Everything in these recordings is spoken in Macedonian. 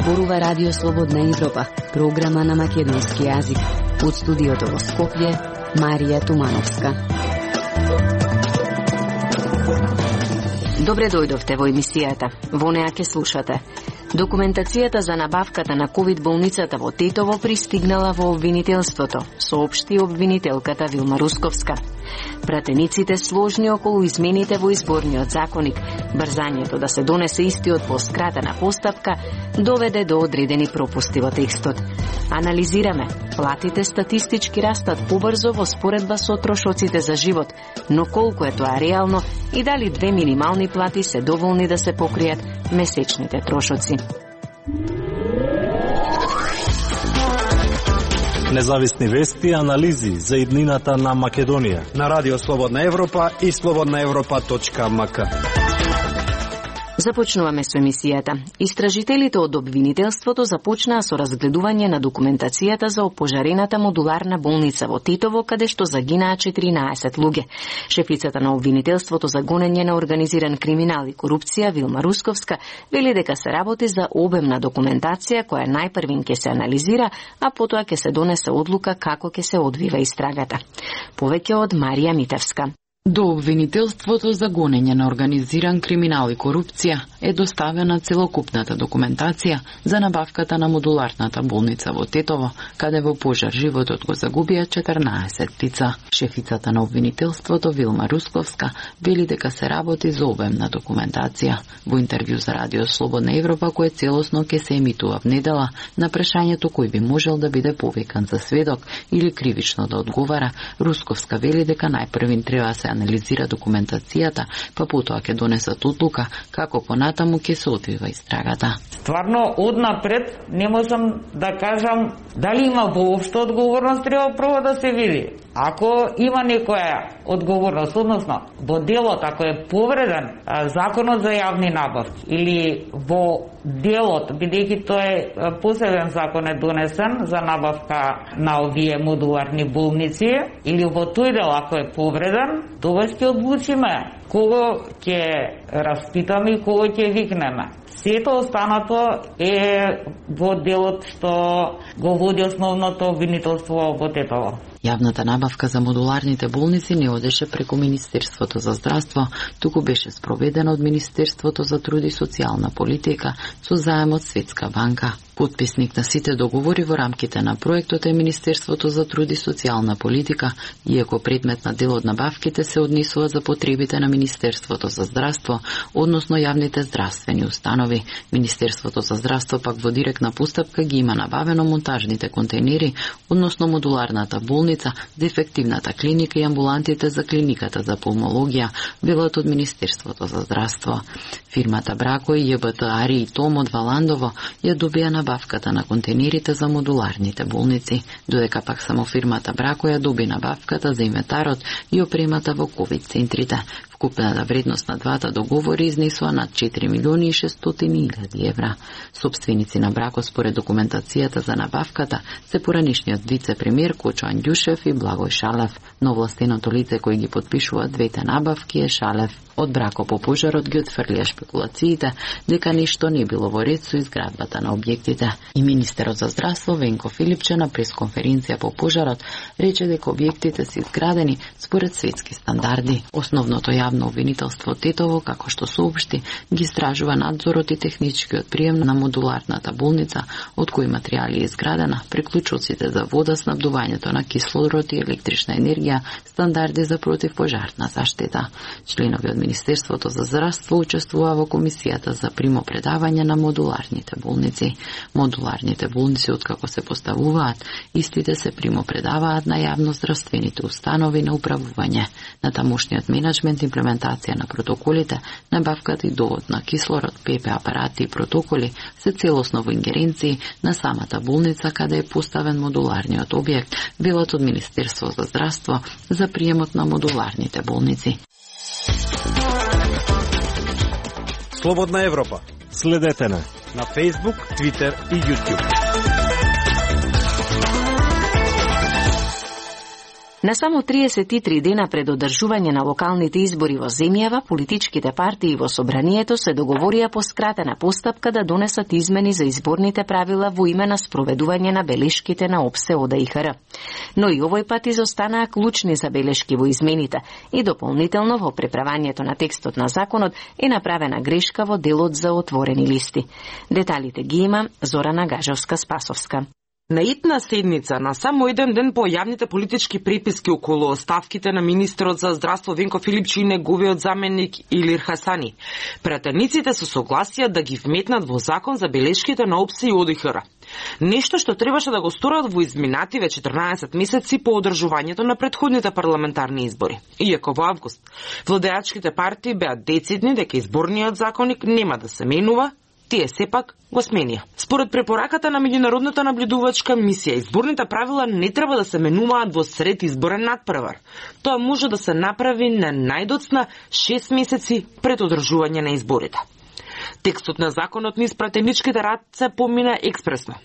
зборува Радио Слободна Европа, програма на македонски јазик. Од студиото во Скопје, Марија Тумановска. Добре дојдовте во емисијата. Во неа ќе слушате. Документацијата за набавката на ковид болницата во Тетово пристигнала во обвинителството, соопшти обвинителката Вилма Русковска. Пратениците сложни околу измените во изборниот законник, брзањето да се донесе истиот по скратена постапка, доведе до одредени пропусти во текстот. Анализираме, платите статистички растат побрзо во споредба со трошоците за живот, но колку е тоа реално и дали 2 минимални плати се доволни да се покријат месечните трошоци. Независни вести и анализи за иднината на Македонија на Радио Слободна Европа и slobodnaevropa.mk. Започнуваме со емисијата. Истражителите од обвинителството започнаа со разгледување на документацијата за опожарената модуларна болница во Тетово, каде што загинаа 14 луѓе. Шефицата на обвинителството за гонење на организиран криминал и корупција Вилма Русковска вели дека се работи за обемна документација која најпрвин ќе се анализира, а потоа ќе се донесе одлука како ќе се одвива истрагата. Повеќе од Марија Митевска. До обвинителството за гонење на организиран криминал и корупција е доставена целокупната документација за набавката на модуларната болница во Тетово, каде во пожар животот го загубија 14 лица. Шефицата на обвинителството Вилма Русковска вели дека се работи за обемна документација. Во интервју за Радио Слободна Европа, кое целосно ќе се емитува в недела, на прашањето кој би можел да биде повикан за сведок или кривично да одговара, Русковска вели дека најпрвин треба се анализира документацијата, па потоа ќе донесат одлука како понатаму ќе се одвива истрагата. Стварно, однапред не можам да кажам дали има воопшто одговорност, треба прво да се види. Ако има некоја одговорност, односно во делот, ако е повреден законот за јавни набавки или во делот, бидејќи тој е посебен закон е донесен за набавка на овие модуларни болници, или во тој дел ако е повреден, тогаш ќе одлучиме кого ќе распитаме и кого ќе викнеме. Сето останато е во делот што го води основното обвинителство во Тетово. Јавната набавка за модуларните болници не одеше преку Министерството за здравство, туку беше спроведена од Министерството за труд и социјална политика со заем од Светска банка. Потписник на сите договори во рамките на проектот е Министерството за труд и социјална политика, иако предмет на дел од набавките се однесува за потребите на Министерството за здравство, односно јавните здравствени установи. Министерството за здравство пак во директна постапка ги има набавено монтажните контейнери, односно модуларната болница, дефективната клиника и амбулантите за клиниката за пулмологија, велат од Министерството за здравство. Фирмата Брако и ЈБТ Ари и Том од Валандово ја добија набавката на контейнерите за модуларните болници, додека пак само фирмата Брако ја доби набавката за инвентарот и опремата во ковид центрите. Вкупната вредност на двата договори изнесува над 4.600.000 евра. Собственици на Брако според документацијата за набавката се поранишниот вице-премиер Кочо Андјушев и Благој Шалев. Но властеното лице кој ги подпишува двете набавки е Шалев. Од Брако по пожарот ги отфрлија шпекулациите дека ништо не било во ред со изградбата на објектите. И министерот за здравство Венко Филипче на пресконференција по пожарот рече дека објектите се изградени според светски стандарди. Основното јавно обвинителство Тетово, како што соопшти, ги истражува надзорот и техничкиот прием на модуларната болница, од кои материјали е изградена, приклучоците за вода, снабдувањето на кислород и електрична енергија, стандарди за противпожарна заштита. Членови од Министерството за здравство учествува во комисијата за примопредавање на модуларните болници. Модуларните болници, откако се поставуваат, истите се примопредаваат на јавно здравствените установи на управување, на тамошниот менеджмент, имплементација на протоколите, набавката и довод на кислород, ПП апарати и протоколи се целосно во ингеренции на самата болница каде е поставен модуларниот објект, велат од Министерство за здравство за приемот на модуларните болници. Слободна Европа. Следете на Facebook, Twitter и YouTube. На само 33 дена пред одржување на локалните избори во земјава, политичките партии во собранието се договорија по скратена постапка да донесат измени за изборните правила во име на спроведување на белешките на ОПСЕ ОДИХР. Но и овој пат изостанаа клучни забелешки во измените и дополнително во преправањето на текстот на законот е направена грешка во делот за отворени листи. Деталите ги има Зорана Гажевска-Спасовска. На итна седница, на само еден ден по јавните политички преписки околу оставките на министерот за здравство Венко Филипчи и неговиот заменик Илир Хасани, пратениците се согласија да ги вметнат во закон за белешките на ОПСЕ и ОДИХР. Нешто што требаше да го сторат во изминативе 14 месеци по одржувањето на претходните парламентарни избори. Иако во август владеачките партии беа децидни дека изборниот законник нема да се менува, тие сепак го сменија. Според препораката на меѓународната наблюдувачка мисија, изборните правила не треба да се менуваат во сред изборен надпревар. Тоа може да се направи на најдоцна 6 месеци пред одржување на изборите. Текстот на законот низ пратеничките раце помина експресно.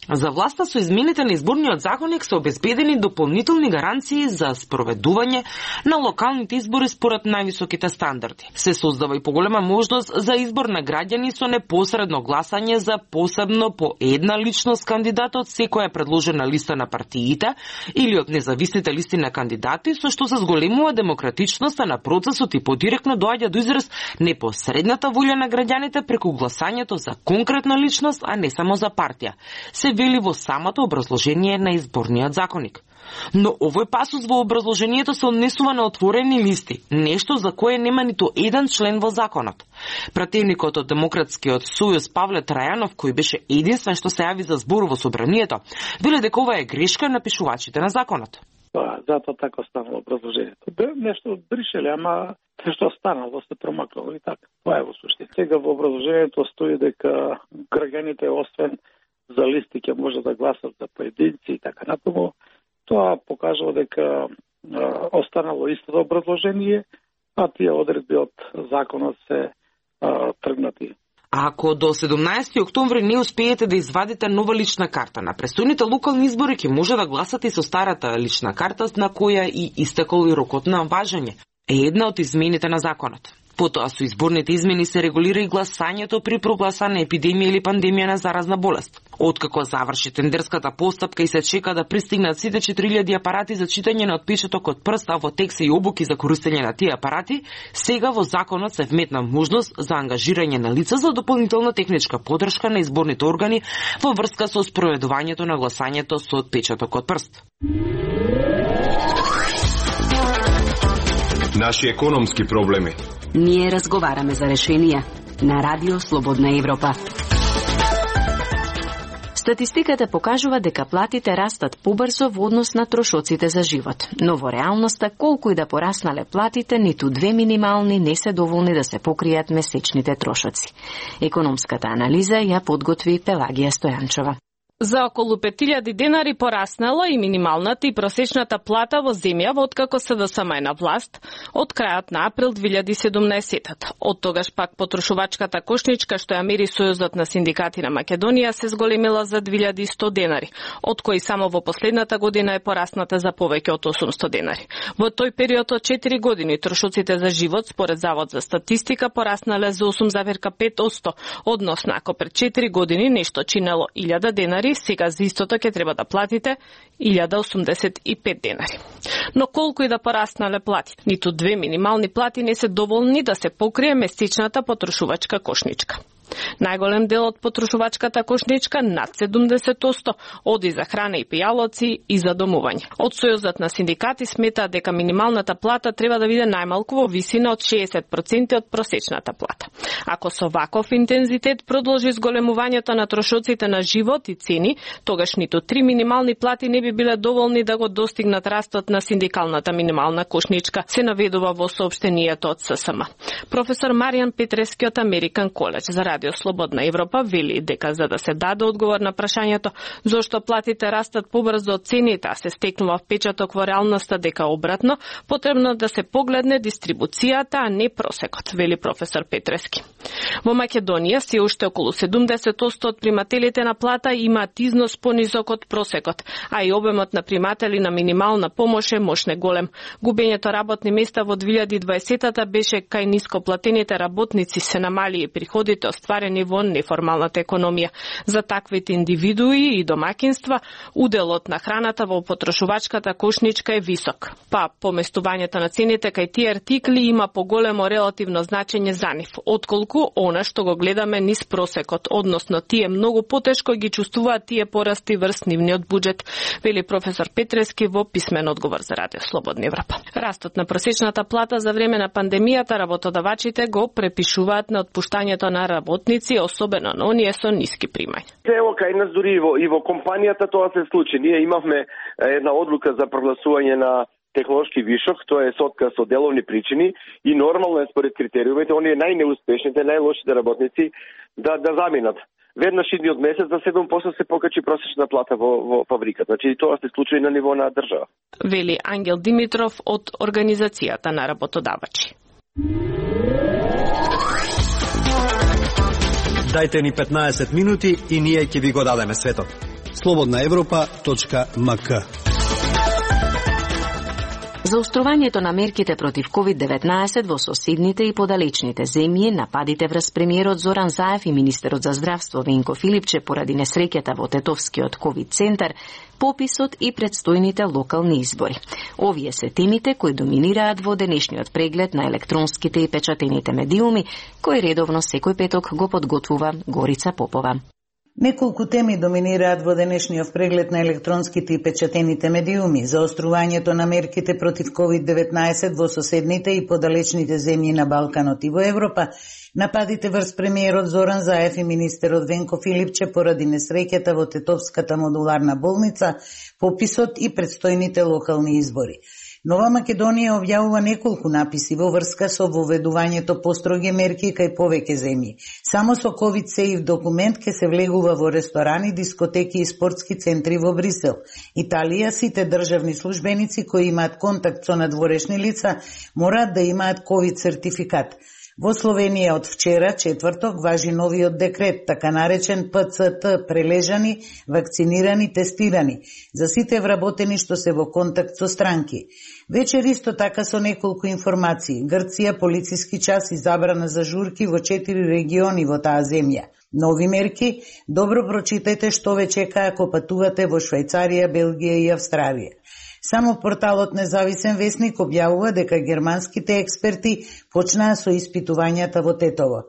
За власта со измените на изборниот законник се обезбедени дополнителни гаранции за спроведување на локалните избори според највисоките стандарди. Се создава и поголема можност за избор на граѓани со непосредно гласање за посебно по една личност кандидат од секоја предложена листа на партиите или од независните листи на кандидати, со што се зголемува демократичноста на процесот и подиректно доаѓа до израз непосредната волја на граѓаните преку гласањето за конкретна личност, а не само за партија. Се вели во самото образложение на изборниот законник. Но овој пасус во образложението се однесува на отворени листи, нешто за кое нема ниту еден член во законот. Пратеникот од Демократскиот сојуз Павле Трајанов, кој беше единствен што се јави за збор во собранието, веле дека ова е грешка на пишувачите на законот. Затоа така станало образложението. Нешто бришеле, ама нешто останало, се промакнало и така. Тоа е во суштина. Сега во образложението стои дека граѓаните освен за листи ќе може да гласат за поединци и така натаму. Тоа покажува дека останало истото образложение, а тие одредби од законот се тргнати. Ако до 17 октомври не успеете да извадите нова лична карта на престојните локални избори, ќе може да гласате и со старата лична карта на која и истекол и рокот на важење. Е една од измените на законот. Потоа со изборните измени се регулира и гласањето при прогласана епидемија или пандемија на заразна болест. Откако заврши тендерската постапка и се чека да пристигнат сите 4000 апарати за читање на отпечаток од прст, а во текст и обуки за користење на тие апарати, сега во законот се вметна можност за ангажирање на лица за дополнителна техничка поддршка на изборните органи во врска со спроведувањето на гласањето со отпечаток од прст. Наши економски проблеми. Ние разговараме за решенија на Радио Слободна Европа. Статистиката покажува дека платите растат побрзо во однос на трошоците за живот. Но во реалноста, колку и да пораснале платите, ниту две минимални не се доволни да се покријат месечните трошоци. Економската анализа ја подготви Пелагија Стојанчова. За околу 5000 денари пораснала и минималната и просечната плата во земјава откако СДСМ е на власт од крајот на април 2017. Од тогаш пак потрошувачката кошничка што ја мери Сојузот на синдикати на Македонија се зголемила за 2100 денари, од кои само во последната година е порасната за повеќе од 800 денари. Во тој период од 4 години трошоците за живот според Завод за статистика пораснале за 8,5%, односно ако пред 4 години нешто чинело 1000 денари, сега за истото ќе треба да платите 1085 денари. Но колку и да пораснале плати, ниту две минимални плати не се доволни да се покрие месечната потрошувачка кошничка. Најголем дел од потрошувачката кошничка, над 70%, оди за храна и пијалоци и за домување. Од Сојузот на синдикати смета дека минималната плата треба да биде најмалку во висина од 60% од просечната плата. Ако со ваков интензитет продолжи зголемувањето на трошоците на живот и цени, тогаш ниту 3 минимални плати не би биле доволни да го достигнат растот на синдикалната минимална кошничка, се наведува во соопштението од ССМ. Професор Маријан Петрески од Американ коледж за Радио Слободна Европа вели дека за да се даде одговор на прашањето зошто платите растат побрзо од цените, а се стекнува впечаток во реалноста дека обратно, потребно да се погледне дистрибуцијата, а не просекот, вели професор Петрески. Во Македонија се уште околу 70% од примателите на плата имаат износ понизок од просекот, а и обемот на приматели на минимална помош е мощне голем. Губењето работни места во 2020-та беше кај нископлатените работници се намали и приходите остварени во неформалната економија. За таквите индивидуи и домакинства, уделот на храната во потрошувачката кошничка е висок. Па, поместувањето на цените кај тие артикли има поголемо релативно значење за нив, отколку она што го гледаме низ просекот, односно тие многу потешко ги чувствуваат тие порасти врз нивниот буџет, вели професор Петрески во писмен одговор за Радио Слободна Европа. Растот на просечната плата за време на пандемијата работодавачите го препишуваат на отпуштањето на работници, особено на оние со ниски примања. Ево кај нас дури и во компанијата тоа се случи. Ние имавме една одлука за прогласување на технолошки вишок, тоа е со отказ од деловни причини и нормално е според критериумите оние најнеуспешните, најлошите работници да заминат. Веднаш идниот месец за 7% се покачи просечна плата во фабриката. Значи тоа се случи на ниво на држава. Вели Ангел Димитров од Организацијата на работодавачи. Дајте ни 15 минути и ние ќе ви го дадеме светот. slobodnaevropa.mk. Заострувањето на мерките против COVID-19 во соседните и подалечните земји, нападите врз премиерот Зоран Заев и министерот за здравство Венко Филипче поради несреќата во Тетовскиот ковид центар, пописот и предстојните локални избори. Овие се темите кои доминираат во денешниот преглед на електронските и печатените медиуми, кој редовно секој петок го подготвува Горица Попова. Неколку теми доминираат во денешниот преглед на електронските и печатените медиуми: заострувањето на мерките против COVID-19 во соседните и подалечните земји на Балканот и во Европа, нападите врз премиерот Зоран Заев и министерот Венко Филипче поради несреќата во Тетовската модуларна болница, пописот и предстојните локални избори. Нова Македонија објавува неколку написи во врска со воведувањето построги мерки кај повеќе земји. Само со COVID-Safe документ ке се влегува во ресторани, дискотеки и спортски центри во Брисел. Италија, сите државни службеници кои имаат контакт со надворешни лица мораат да имаат COVID сертификат. Во Словенија од вчера, четврток, важи новиот декрет, така наречен ПЦТ, прележани, вакцинирани, тестирани, за сите вработени што се во контакт со странки. Вечер исто така со неколку информации. Грција, полициски час и забрана за журки во 4 региони во таа земја. Нови мерки, добро прочитајте што ве чека ако патувате во Швајцарија, Белгија и Австралија. Само порталот Независен весник објавува дека германските експерти почнаа со испитувањата во Тетово.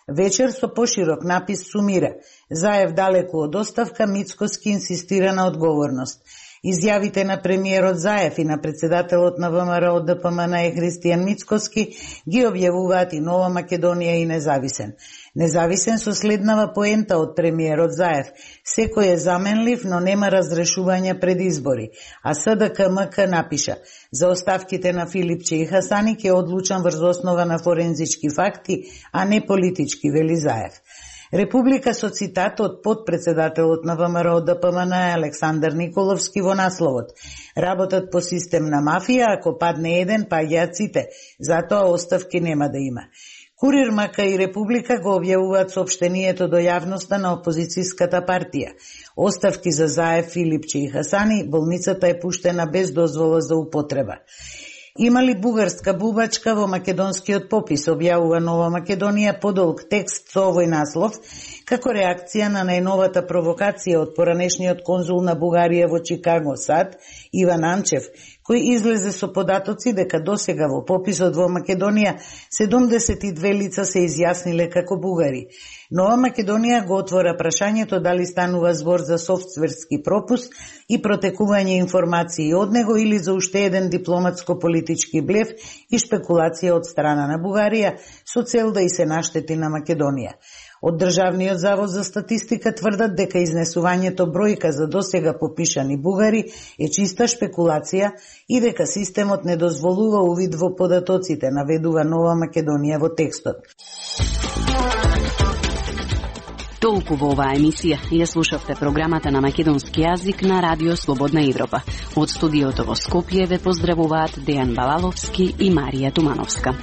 Вечер со поширок напис сумира: Заев далеку од оставка, Мицкоски инсистира на одговорност. Изјавите на премиерот Заев и на председателот на ВМРО ДПМН Христијан Мицкоски ги објавуваат и Нова Македонија и Независен. Независен со следнава поента од премиерот Заев: секој е заменлив, но нема разрешување пред избори. А СДКМК напиша: за оставките на Филипче и Хасани ке одлучам врз основа на форензички факти, а не политички, вели Заев. Република со цитат од подпредседателот на ВМРО ДПМН Александар Николовски во насловот: работат по систем на мафија, ако падне еден, паѓаат сите, затоа оставки нема да има. Курир Мака и Република го објавуваат соопштението до јавноста на опозицијската партија. Оставки за Заев, Филипче и Хасани, болницата е пуштена без дозвола за употреба. Има ли бугарска бубачка во македонскиот попис, објавува Нова Македонија подолг текст со овој наслов, како реакција на најновата провокација од поранешниот конзул на Бугарија во Чикаго, САД, Иван Анчев, кој излезе со податоци дека досега во пописот во Македонија 72 лица се изјасниле како бугари. Нова Македонија го отвора прашањето дали станува збор за софтверски пропуст и протекување информации од него или за уште еден дипломатско-политички блеф и шпекулација од страна на Бугарија со цел да и се наштети на Македонија. Од Државниот завод за статистика тврдат дека изнесувањето бројка за досега попишани бугари е чиста шпекулација и дека системот не дозволува увид во податоците, наведува Нова Македонија во текстот. Толку во оваа емисија ја слушавте програмата на македонски јазик на Радио Слободна Европа. Од студиото во Скопје ве поздравуваат Дејан Балаловски и Марија Тумановска.